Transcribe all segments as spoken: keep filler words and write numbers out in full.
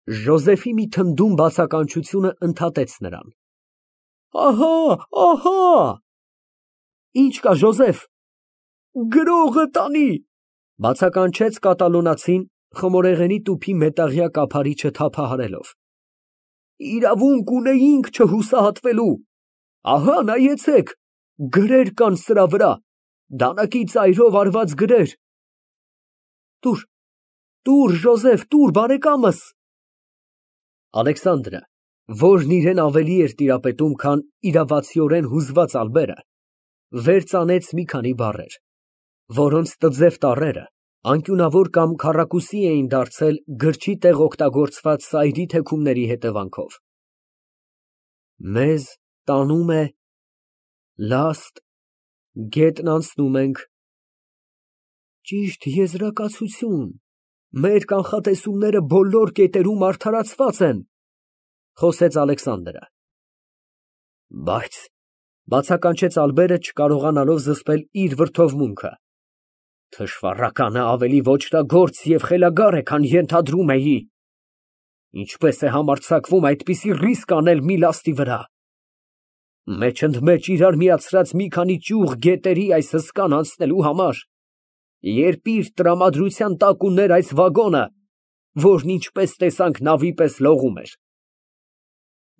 Ժոզեֆի մի թնդում բացականչությունը ընդհատեց նրան։ Ահա, ահա։ Ինչ կա, Ժոզեֆ։ Գրողը տանի, բացականչեց կատալոնացին, խմորեղենի տուփի մետաղյա կափարիչը թափահարելով։ Իրավունք ունեինք չհուսահատվելու։ Ահա, նայեցեք, գրեր կան սրա վրա, դանակի ծայրով արված գրեր։ Տուր, տուր, Ժոզեֆ, տուր, բարեկամս։ Ալեքսանդրը, որն իրեն ավելի էր տիրապետում, քան իրավացիորեն հուզված Ալբերը, վեր ծանեց մի քանի բառեր, որոնց տձև տառերը անկյունավոր կամ քառակուսի էին դարձել գրչի տեղ օգտագործված սայրի թեքումների հետևանքով։ Մեզ տանում է լաստ, գետն անցնում ենք։ Ճիշտ եզրակացություն, մեր կանխատեսումները բոլոր կետերում արդարացված են, խոսեց Ալեքսանդրը։ Բայց, բացականչեց Ալբերը, չկարողանալով զսպել իր վրդովմունքը, թշվառականը ավելի ոճրագործ և խելագար է, քան ենթադրում էի։ Ինչպես է համարձակվում այդպիսի ռիսկ անել մի լաստի վրա։ Մեջընդմեջ իրար միացրած մի քանի ճյուղ գետերի այս հսկան անցնելու համար, երբ իր տրամադրության տակ ուներ այս վագոնը, որն ինչպես տեսանք նավի պես լողում էր։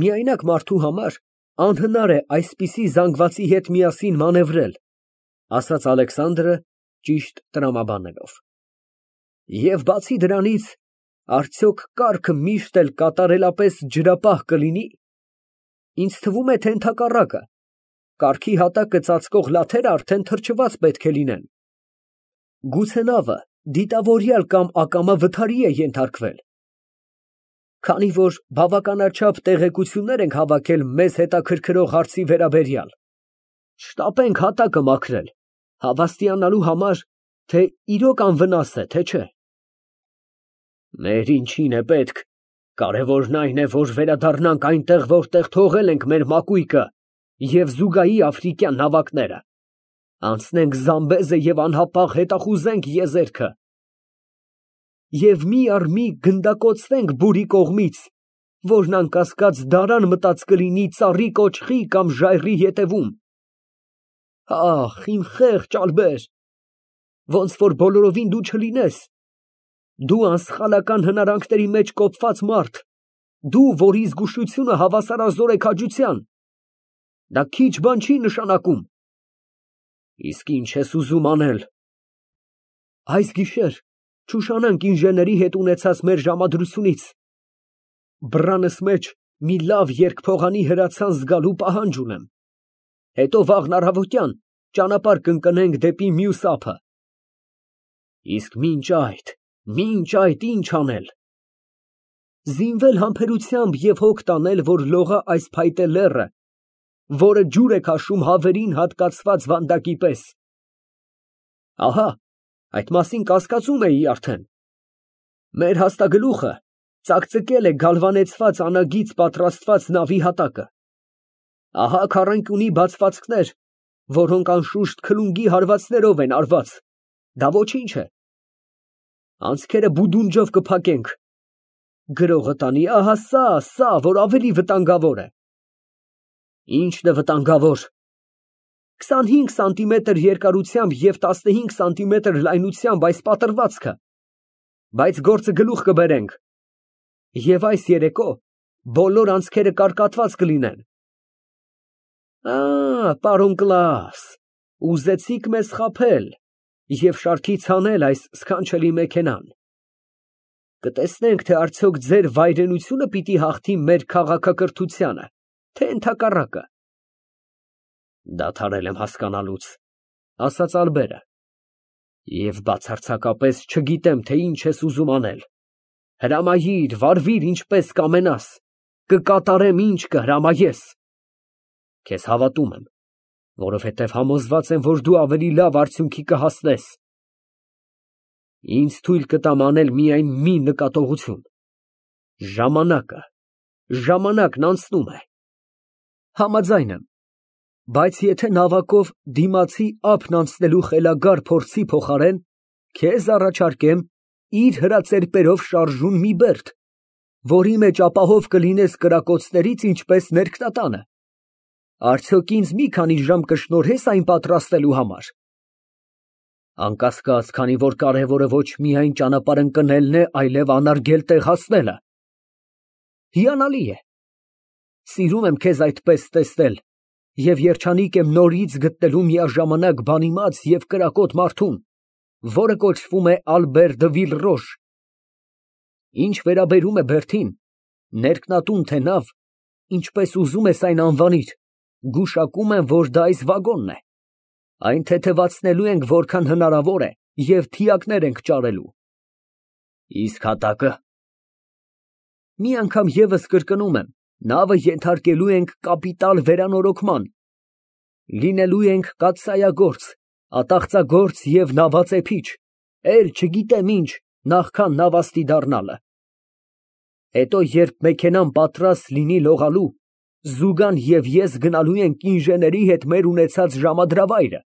Միայնակ մարդու համար անհնար է այսպիսի զանգվածի հետ միասին մանևրել, ասաց Ալեքսանդրը, ճիշտ տրամաբանելով։ Եվ բացի դրանից, արդյոք կառքը միշտ էլ կատարելապես ջրապահ կլինի։ Ինձ թվում է, թե ընդհակառակը, կառքի հատակը ծածկող լաթերը արդեն թրջված պետք է լինեն։ Գուցե նավը դիտավորյալ կամ ակամա վթարի է ենթարկվել։ Քանի որ բավականաչափ տեղեկություններ ենք հավաքել մեզ հետաքրքրող հարցի վերաբերյալ, շտապենք հատակը մաքրել, հավաստիանալու համար, թե իրոք անվնաս է, թե չէ։ Մեր ինչին է պետք, կարևորն այն է, որ վերադառնանք այնտեղ, որտեղ թողել ենք մեր մակույկը և զուգահի աֆրիկյան նավակները, անցնենք Զամբեզը և անհապաղ հետախուզենք եզերքը։ Եվ մի առ մի գնդակոծվենք բուրի կողմից, որն անկասկած դարան մտած կլինի ծառի կոճղի կամ ժայռի ետևում։ Ախ, իմ խեղճ Ալբեր, ոնց որ բոլորովին դու չլինես, դու անսխալական հնարանքների մեջ կոփված մարդ, դու, որի զգուշությունը հավասարազոր է քաջության, դա քիչ բան չի նշանակում։ Իսկ ինչ ես ուզում անել։ Այս գիշեր չուշանանք ինժեների հետ ունեցած մեր ժամադրությունից։ Բռանս մեջ մի լավ երկփողանի հրացան զգալու պահանջ ունեմ։ Հետո վաղն առավոտյան ճանապարհ կընկնենք դեպի մյուս ափը։ Իսկ մինչ այդ, մինչ այդ ինչ անել։ Զինվել համբերությամբ և հոգ տանել, որ լողա այս փայտե լեռը, որը ջուր է քաշում հավերին հատկացված վանդակի պես։ Ահա, այդ մասին կասկածում էի արդեն։ Մեր հաստագլուխը ծակծկել է գալվանեցված անագից պատրաստված նավի հատակը։ Ահա քառանկյունի բացվածքներ, որոնք անշուշտ քլունգի հարվածներով են արված, դա ոչինչ է։ Անցքերը բուդունջով կփակենք։ Գրողը տանի, ահա սա, սա, որ ավելի վտանգավոր է։ Ի՞նչն է վտանգավոր։ քսանհինգ սանտիմետր երկարությամբ և տասնհինգ սանտիմետր լայնությամբ այս պատրվածքը, բայց գործը գլուխ կբերենք, և այս երեկո բոլոր անցքերը կարկատված կլինեն։ Ա, պարոն Կլաս, ուզեցիք մեզ խաբել և շարքից հանել այս սքանչելի մեքենան։ Կտեսնենք, թե արդյոք ձեր վայրենությունը պիտի հաղթի մեր քաղաքակրթությանը, թե ընդհակառակը։ Դադարել եմ հասկանալուց, ասաց Ալբերը, և բացարձակապես չգիտեմ, թե ինչ ես ուզում անել։ Հրամայիր, վարվիր ինչպես կամենաս, կկատարեմ ինչ կհրամայես։ Քեզ հավատում եմ, որովհետև համոզված եմ, որ դու ավելի լավ արդյունքի կհասնես։ Ինձ թույլ կտամ անել միայն մի նկատողություն. ժամանակը, ժամանակն անցնում է։ Համաձայն եմ, բայց եթե նավակով դիմացի ափն անցնելու խելագար փորձի փոխարեն քեզ առաջարկեմ իր հրացերպերով շարժուն մի բերդ, որի մեջ ապահով կլինես կրակոցներից, ինչպես ներքնատանը։ Արդյոք ինձ մի քանի ժամ կշնորհես այն պատրաստելու համար։ Անկասկած, քանի որ կարևորը ոչ միայն ճանապարհ ընկնելն է, այլև անարգել տեղ հասնելը։ Հիանալի է։ Սիրում եմ քեզ այդպես տեսնել և երջանիկ եմ նորից գտնելու միաժամանակ բանիմաց և կրակոտ մարդուն, որը կոչվում է Ալբեր դը Վիլռոժ։ Ինչ վերաբերում է Բերթին, ներքնատուն թե նավ, ինչպես ուզում ես այն անվանիր, գուշակում եմ, որ դա այս վագոնն է։ Այն թեթևացնելու ենք որքան հնարավոր է և թիակներ ենք ճարելու։ Իսկ հատակը։ Մի անգամ ևս կրկնում եմ, նավը ենթարկելու ենք կապիտալ վերանորոգման։ Լինելու ենք կաթսայագործ, ատաղծագործ և նավածեփիչ, էլ չգիտեմ ինչ, նախքան նավաստի դառնալը։ Հետո, երբ մեքենան պատրաստ լինի լողալու, Զուգան և ես գնալու ենք ինժեների հետ մեր ունեցած ժամադրավայրը։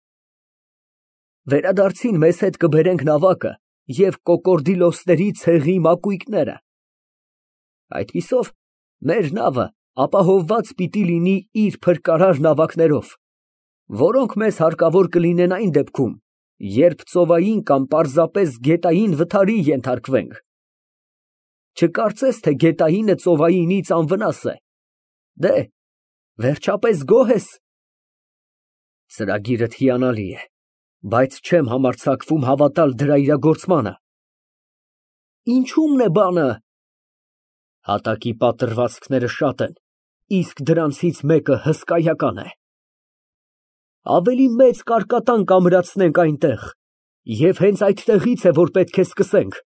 Վերադարձին մեզ հետ կբերենք նավակը և կոկորդիլոսների ցեղի մակույկները։ Այդպիսով մեր նավը ապահովված պիտի լինի իր փրկարար նավակներով, որոնք մեզ հարկավոր կլինեն այն դեպքում, երբ ծովային կամ պարզապես գետային վթարի ենթարկվենք։ Չկարծես, թե գետայինը ծովայինից անվնաս է։ Դե, վերջապես գոհ ես։ Ծրագիրդ հիանալի է, բայց չեմ համարձակվում հավատալ դրա իրագործմանը։ Ինչո՞ւմն է բանը։ Հատակի պատրվացքները շատ են, իսկ դրանցից մեկը հսկայական է։ Ավելի մեծ կարկատան կամրացնենք այնտեղ, և հենց այդտեղից է, որ պետք է սկսենք։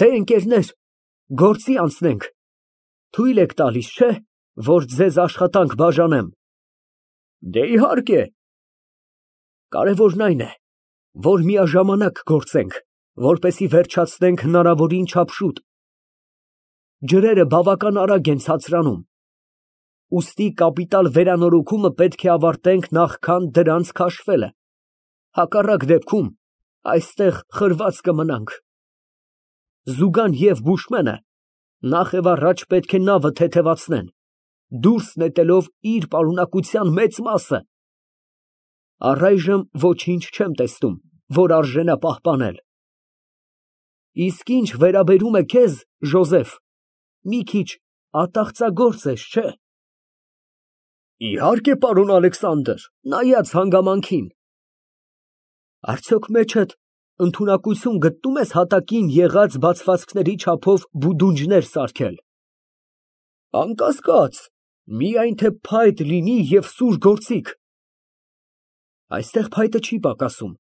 Դե, ընկերներ, գործի անցնենք։ Թույլ եք տալիս, չէ՞, որ ձեզ աշխատանք բաժանեմ։ Դե, իհարկե։ Կարևորն այն է, որ միաժամանակ գործենք, որպեսզի վերջացնենք հնարավորին չափ շուտ։ Ջրերը բավական արագ են ցածրանում, ուստի կապիտալ վերանորոգումը պետք է ավարտենք նախքան դրանց քաշվելը, հակառակ դեպքում այստեղ խրված կմնանք։ Զուգան և Բուշմենը նախ և առաջ պետք է նավը թեթևացնեն, դուրս նետելով իր պարունակության մեծ մասը։ Առայժմ ոչինչ չեմ տեսնում, որ արժենա պահպանել։ Իսկ ինչ վերաբերում է քեզ, Ժոզեֆ, մի քիչ ատաղծագործ ես, չէ՞։ Իհարկե, պարոն Ալեքսանդր, նայած հանգամանքին։ Արդյոք մեջդ ընդունակություն գտնում ես հատակին եղած բացվածքների չափով բուդունջներ սարքել։ Անկասկած, միայն թե փայտ լինի և սուր գործիք։ Այստեղ փայտը չի պակասում,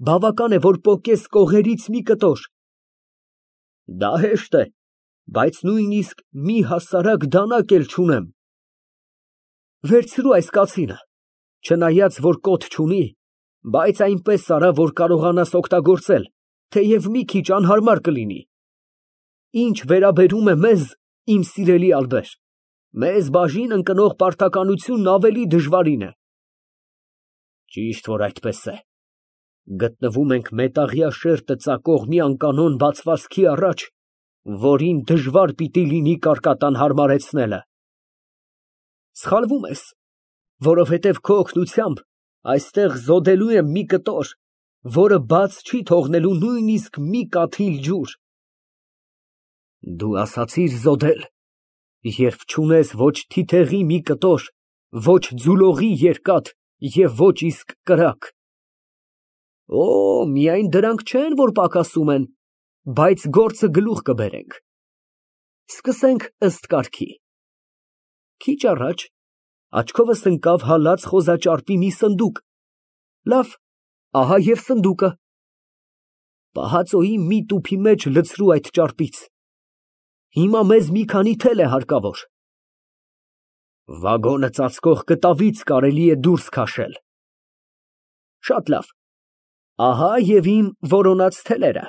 բավական է, որ պոկես կողերից մի կտոր։ Դա հեշտ է, բայց նույնիսկ մի հասարակ դանակ էլ չունեմ։ Վերցրու այս կացինը, չնայած որ կոթ չունի, բայց այնպես արա, որ կարողանաս օգտագործել, թեև մի քիչ անհարմար կլինի։ Ինչ վերաբերում է մեզ, իմ սիրելի Ալբեր, մեզ բաժին ընկնող պարտականությունն ավելի դժվարին է։ Ճիշտ որ այդպես է։ Գտնվում ենք մետաղյա շերտը ծակող մի անկանոն բացվածքի առաջ, որին դժվար պիտի լինի կարկատան հարմարեցնելը։ Սխալվում ես, որովհետև քո օգնությամբ այստեղ զոդելու եմ մի կտոր, որը բաց չի թողնելու նույնիսկ մի կաթիլ ջուր։ Դու ասացիր զոդել, երբ չունես ոչ թիթեղի մի կտոր, ոչ ձուլողի երկաթ և ոչ իսկ կրակ։ Օ, միայն դրանք չեն, որ պակասում են, բայց գործը գլուխ կբերենք։ Սկսենք ըստ կարգի։ Քիչ առաջ աչքովս ընկավ հալած խոզաճարպի մի սնդուկ։ Լավ, ահա և սնդուկը։ Պահածոյի մի տուփի մեջ լցրու այդ ճարպից։ Հիմա մեզ մի քանի թել է հարկավոր։ Վագոնը ծածկող կտավից կարելի է դուրս քաշել։ Շատ լավ, ահա և իմ որոնած թելերը։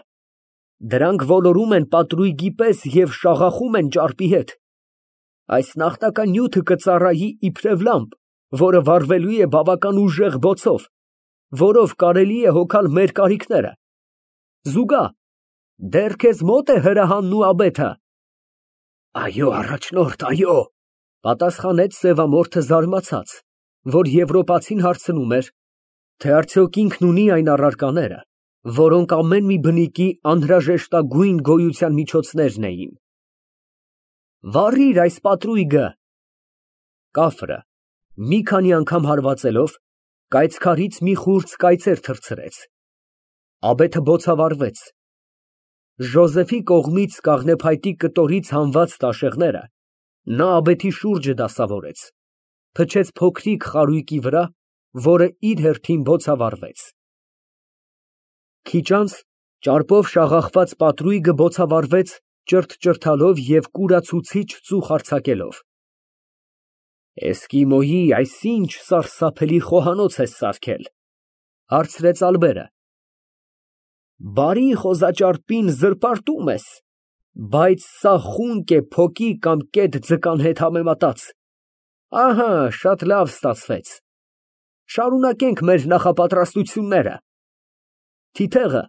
Դրանք ոլորում են պատրույգի պես և շաղախում են ճարպի հետ։ Այս նախնական նյութը կծառայի իբրև լամպ, որը վառվելու է բավական ուժեղ բոցով, որով կարելի է հոգալ մեր կարիքները։ Զուգա, դեռ քեզ մոտ է հրահանն ու աբեթը։ Այո, առաջնորդ, այո, պատասխանեց սևամորթը զարմացած, որ եվրոպացին հարցնում էր, թե արդյոք ինքն ունի այն առարկաները, որոնք ամեն մի բնիկի անհրաժեշտագույն գոյության միջոցներն էին։ Վառիր այս պատրույգը։ Կաֆրը, մի քանի անգամ հարվածելով, կայծքարից մի խուրձ կայծեր թռցրեց։ Աբեթը բոցավառվեց։ Ժոզեֆի կողմից կաղնեփայտի կտորից հանված տաշեղները նա աբեթի շուրջը դասավորեց, փչեց փոքրիկ խարույկի վրա, որը իր հերթին բոցավառվեց։ Քիչ անց ճարպով շաղախված պատրույգը բոցավառվեց ճրթճրթալով և կուրացուցիչ ծուխ արձակելով։ Էսկիմոյի այս ինչ սարսափելի խոհանոց ես սարքել, հարցրեց Ալբերը։ Բարի խոզաճարպին զրպարտում ես, բայց սա խունկ է փոկի կամ կետ ձկան հետ համեմատած։ Ահա, շատ լավ ստացվեց։ Շարունակենք մեր նախապատրաստությունները։ Թիթեղը,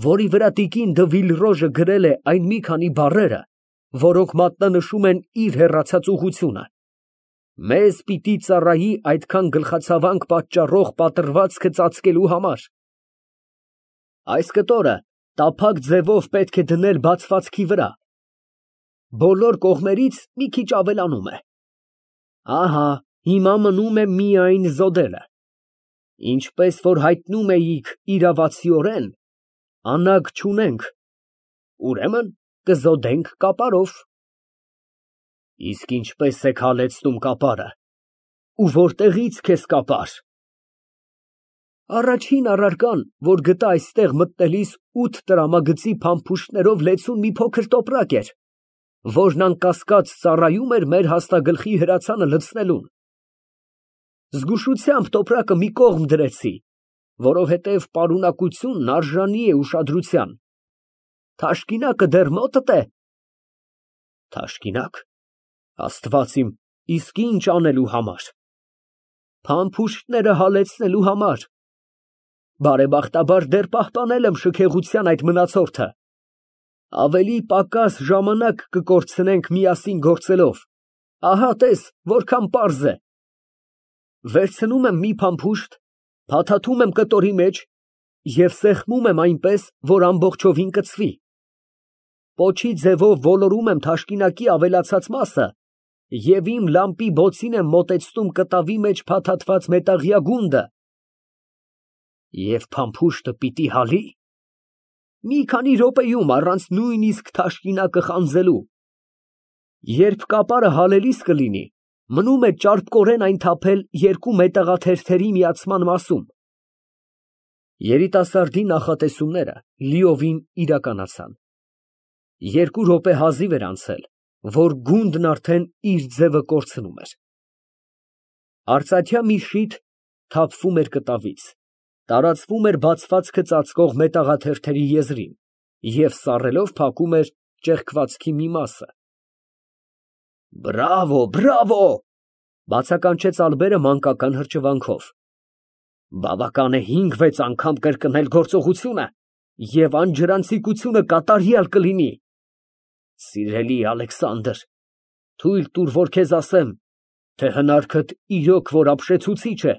որի վրա տիկին դը Վիլրոժը գրել է այն մի քանի բառերը, որոնք մատնանշում են իր հեռացած ուղղությունը, մեզ պիտի ծառայի այդքան գլխացավանք պատճառող պատրվածքը ծածկելու համար։ Այս կտորը տափակ ձևով պետք է դնել բացվածքի վրա, բոլոր կողմերից մի քիչ ավելանում է։ Ահա, հիմա մնում է միայն զոդելը։ Ինչպես որ հայտնում էիք իրավացիորեն, անագ չունենք, ուրեմն կզոդենք կապարով։ Իսկ ինչպես եք հալեցնում կապարը, ու որտեղից քեզ կապար։ Առաջին առարկան, որ գտա այստեղ մտնելիս ութ տրամագծի փամփուշտներով լեցուն մի փոքր տոպրակ էր, որն անկասկած ծառայում էր մեր հաստագլխի հրացանը լցնելուն։ Զգուշությամբ տոպրակը մի կողմ դրեցի, որովհետև պարունակությունն արժանի է ուշադրության։ Թաշկինակը դեռ մոտդ է։ Թաշկինակ, Աստված իմ, իսկ ինչ անելու համար։ Փամփուշտները հալեցնելու համար։ Բարեբախտաբար դեռ պահպանել եմ շքեղության այդ մնացորդը։ Ավելի պակաս ժամանակ կկորցնենք միասին գործելով։ Ահա տես, որքան պարզ է։ Վերցնում եմ մի փամփուշտ, փաթաթում եմ կտորի մեջ և սեղմում եմ այնպես, որ ամբողջովին կծվի։ Պոչի ձևով ոլորում եմ թաշկինակի ավելացած մասը և իմ լամպի բոցին եմ մոտեցնում կտավի մեջ փաթաթված մետաղյա գունդը։ Եվ փամփուշտը պիտի հալի։ Մի քանի րոպեում առանց նույնիսկ թաշկինակը խանձելու։ Երբ կապարը հալելիս կլինի, մնում է ճարպկորեն այն թափել երկու մետաղաթերթերի միացման մասում։ Երիտասարդի նախատեսումները լիովին իրականացան։ Երկու րոպե հազիվ էր անցել, որ գունդն արդեն իր ձևը կորցնում էր։ Արծաթյա մի շիթ թափվում էր կտավից, տարածվում էր բացվածքը ծածկող մետաղաթերթերի եզրին և սառելով փակում էր ճեղքվածքի մի մասը։ Բրավո, բրավո, բացականչեց Ալբերը մանկական հրճվանքով։ Բավական է հինգ֊վեց անգամ կրկնել գործողությունը և անջրանցիկությունը կատարյալ կլինի։ Սիրելի Ալեքսանդր, թույլ տուր, որ քեզ ասեմ, թե հնարքդ իրոք որ ապշեցուցիչ է։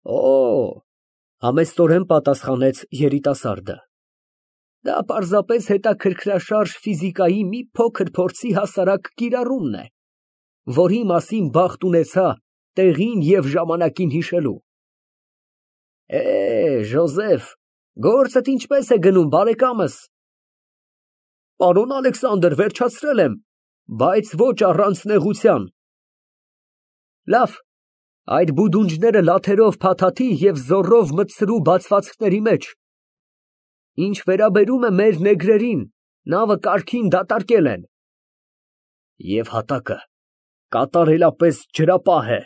Օ, համեստորեն պատասխանեց երիտասարդը։ Դա պարզապես հետաքրքրաշարժ ֆիզիկայի մի փոքր փորձի հասարակ կիրառումն է, որի մասին բախտ ունեցա տեղին և ժամանակին հիշելու։ Է, Ժոզեֆ, գործդ ինչպես է գնում, բարեկամս։ Պարոն Ալեքսանդր, վերջացրել եմ, բայց ոչ առանց նեղության։ Լավ, այդ բուդունջները լաթերով փաթաթի և զոռով մտցրու բացվածքների մեջ։ Ինչ վերաբերում է մեր նեգրերին, նավը կարգին դատարկել են։ Եվ հատակը կատարելապես ջրապահ է,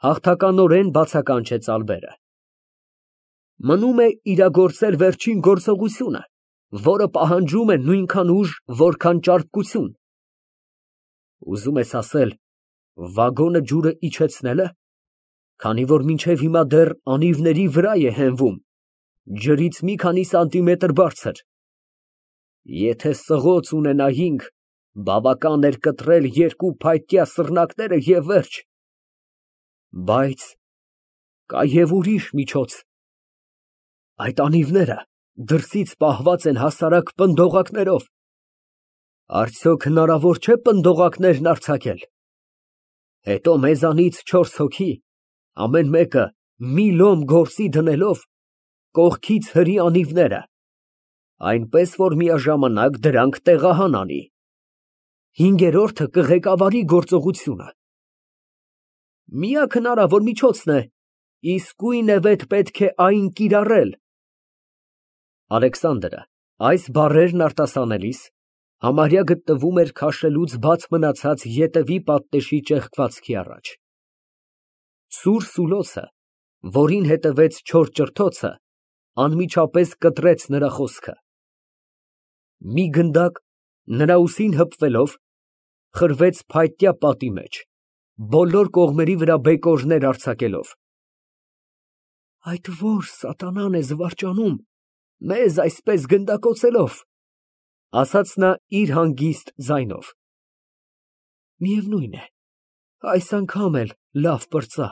հաղթականորեն բացականչեց Ալբերը։ Մնում է իրագործել վերջին գործողությունը, որը պահանջում է նույնքան ուժ, որքան ճարպկություն։ Ուզում ես ասել, վագոնը ջուրը իջեցնե՞լ է, քանի որ մինչև հիմա դեռ անիվների վրա է հենվում, ջրից մի քանի սանտիմետր բարձր։ Եթե սղոց ունենայինք, Բավական էր կտրել երկու փայտյա սռնակները և վերջ։ Բայց կա և ուրիշ միջոց. այդ անիվները դրսից պահված են հասարակ պնդողակներով, արդյոք հնարավոր չէ պնդողակներն արձակել, հետո մեզանից չորս հոգի, ամեն մեկը մի լոմ գործի դնելով, կողքից հրի անիվները, այնպես որ միաժամանակ դրանք տեղահան անի, հինգերորդը կղեկավարի գործողությունը։ Միակ հնարավոր միջոցն է, իսկույնևեթ պետք է այն կիրառել։ (Ալեքսանդրը այս բառերն արտասանելիս համարյա գտնվում էր քաշելուց բաց մնացած ետևի պատնեշի ճեղքվածքի առաջ։ Սուր Սուլոսը, որին հետևեց չոր ճրթոցը, անմիջապես կտրեց նրա խոսքը։ Մի գնդակ, նրա ուսին հպվելով, խրվեց փայտյա պատի մեջ, բոլոր կողմերի վրա բեկորներ արձակելով)։ Այդ ո՞ր սատանան է զվարճանում մեզ այսպես գնդակոծելով, ասաց նա իր հանգիստ ձայնով։ Միևնույն է, այս անգամ էլ լավ պրծա։